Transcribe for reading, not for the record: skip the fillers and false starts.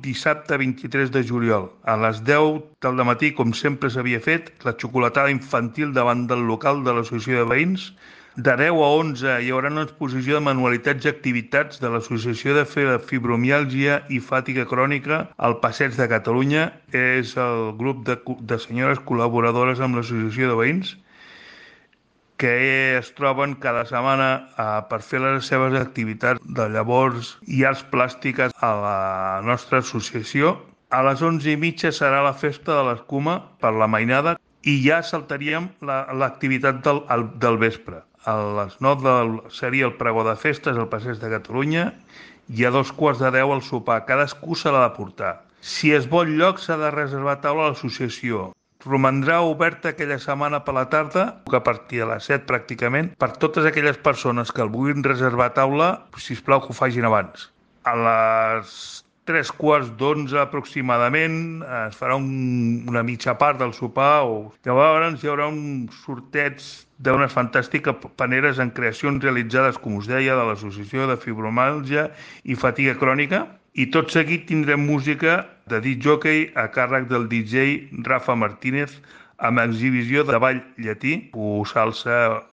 dissabte 23 de juliol. A les 10 del matí, com sempre s'havia fet, la xocolatada infantil davant del local de l'Associació de Veïns. De 10 a 11 hi haurà una exposició de manualitats i activitats de l'Associació de Fibromiàlgia i Fàtiga Crònica al Passeig de Catalunya. És el grup de senyores col·laboradores amb l'Associació de Veïns que es troben cada setmana per fer les seves activitats de llavors i arts plàstiques a la nostra associació. A les 11:30 serà la festa de l'escuma per la mainada i ja saltaríem l'activitat del vespre. A les 9 seria el pregó de festes al Passeig de Catalunya i a 2:15 el sopar. Cadascú se l'ha de portar. Si es vol lloc s'ha de reservar taula a l'associació. Romandrà oberta aquella setmana per la tarda, a partir de les 7 pràcticament, per totes aquelles persones que el vulguin reservar taula, sisplau que ho facin abans. A les 3:15 aproximadament es farà una mitja part del sopar, llavors hi haurà un sorteig d'unes fantàstiques paneres en creacions realitzades, com us deia, de l'Associació de Fibromàlgia i Fatiga Crònica. I tot seguit tindrem música de disc jockey a càrrec del DJ Rafa Martínez amb exhibició de ball llatí o salsa